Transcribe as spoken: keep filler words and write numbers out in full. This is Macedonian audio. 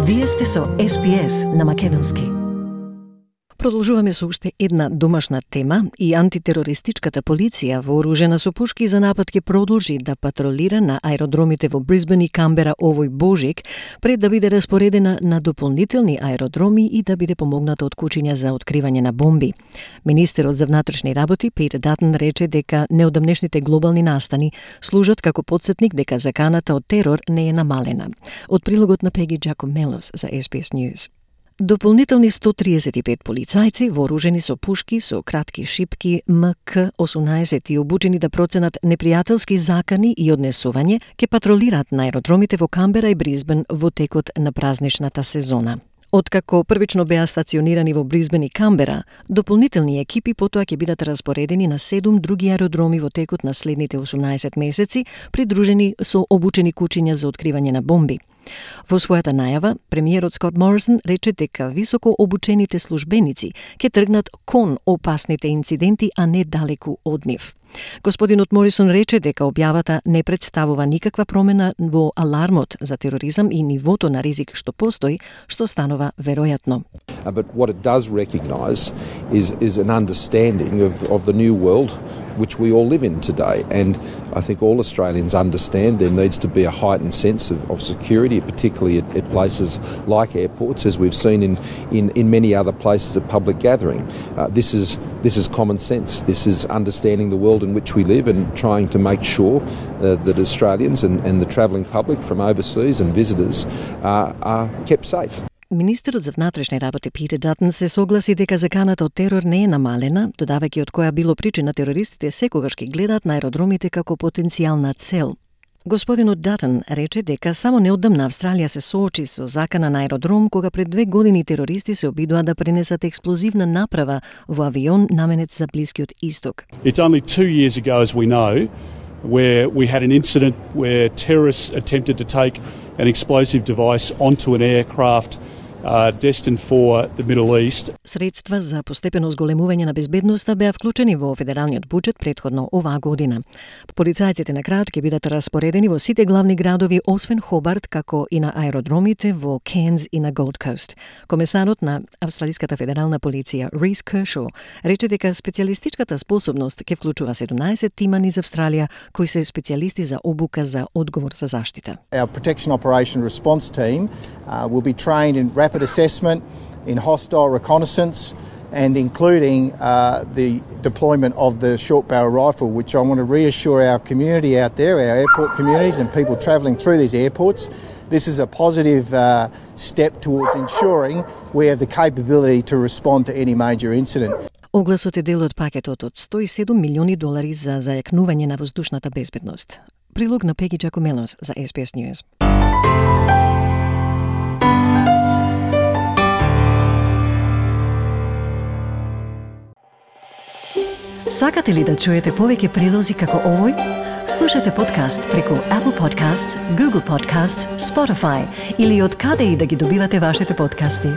Вие сте со Ес Би Ес на македонски. Продолжуваме со уште една домашна тема и антитерористичката полиција вооружена со пушки за напад ќе продолжи да патролира на аеродромите во Брисбен и Камбера овој божик, пред да биде распоредена на дополнителни аеродроми и да биде помогната од кучиња за откривање на бомби. Министерот за внатрешни работи Питер Датън рече дека неодамнешните глобални настани служат како потсетник дека заканата од терор не е намалена. Од прилогот на Пеги Джакомелос за Ес Би Ес News. Дополнителни сто триесет и пет полицајци вооружени со пушки со кратки шипки Ем Ка осумнаесет и обучени да проценат непријателски закани и однесување ќе патролираат на аеродромите во Камбера и Брисбен во текот на празничната сезона. Откако првично беа стационирани во Брисбен и Камбера, дополнителни екипи потоа ќе бидат распоредени на седум други аеродроми во текот на следните осумнаесет месеци, придружени со обучени кучиња за откривање на бомби. Во својата најава, премиерот Скот Морисон рече дека високо обучените службеници ќе тргнат кон опасните инциденти, а не далеку од нив. Господинот Морисон рече дека објавата не представува никаква промена во алармот за тероризам и нивото на ризик што постои, што станува веројатно. Uh, but what it does recognise is is an understanding of, of the new world which we all live in today. And I think all Australians understand there needs to be a heightened sense of, of security, particularly at, at places like airports, as we've seen in, in, in many other places of public gathering. Uh, this is this is common sense. This is understanding the world in which we live and trying to make sure uh, that Australians and, and the travelling public from overseas and visitors uh, are kept safe. Министерот за внатрешни работи Питер Датън се согласи дека заканата од терор не е намалена, додавајќи од која било причина терористите секогаш ги гледаат на аеродромите како потенцијална цел. Господинот Датън рече дека само неодамна Австралија се соочи со закана на аеродром кога пред две години терористи се обидоа да пренесат експлозивна направа во авион наменет за Блискиот Исток. It's only two years ago, as we know, where we had an incident where terrorists attempted to take an explosive device onto an aircraft Uh, destined for the Middle East. Средства за постепено зголемување на безбедноста беа вклучени во федералниот буџет претходно оваа година. Полицајците на крајот ќе бидат распоредени во сите главни градови освен Хобарт, како и на аеродромите во Кенз и на Голд Кост. Комесарот на Австралиската федерална полиција Рис Кершо рече дека специјалистичката способност ќе вклучува седумнаесет тима низ Австралија кои се специјалисти за обука за одговор за заштита. Our Protection Operation Response Team uh, will be trained in rapid assessment, in hostile reconnaissance, and including uh, the deployment of the short barrel rifle, which I want to reassure our community out there, our airport communities and people travelling through these airports. This is a positive uh, step towards ensuring we have the capability to respond to any major incident. Огласот е дел од пакетот од сто и седум милиони долари за зајакнување на воздушната безбедност. Прилог на Пеги Джакомелос за Ес Би Ес News. Сакате ли да чуете повеќе прилози како овој? Слушате подкаст преку Apple Podcasts, Google Podcasts, Spotify или од каде и да ги добивате вашите подкасти.